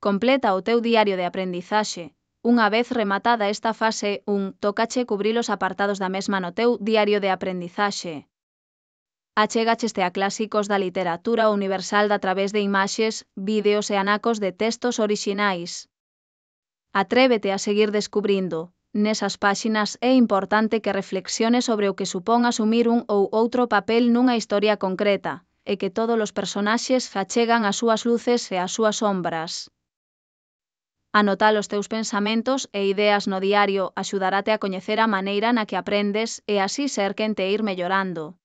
Completa o teu diario de aprendizaxe. Unha vez rematada esta fase 1, tócache cubrir os apartados da mesma no teu diario de aprendizaxe. Achegácheste a clásicos da literatura universal a través de imaxes, vídeos e anacos de textos orixinais. Atrévete a seguir descubrindo. Nesas páxinas é importante que reflexiones sobre o que supón asumir un ou outro papel nunha historia concreta, e que todos os personaxes achegan as súas luces e as súas sombras. Anotar os teus pensamentos e ideas no diario axudarate a coñecer a maneira na que aprendes e así ser quen te ir mellorando.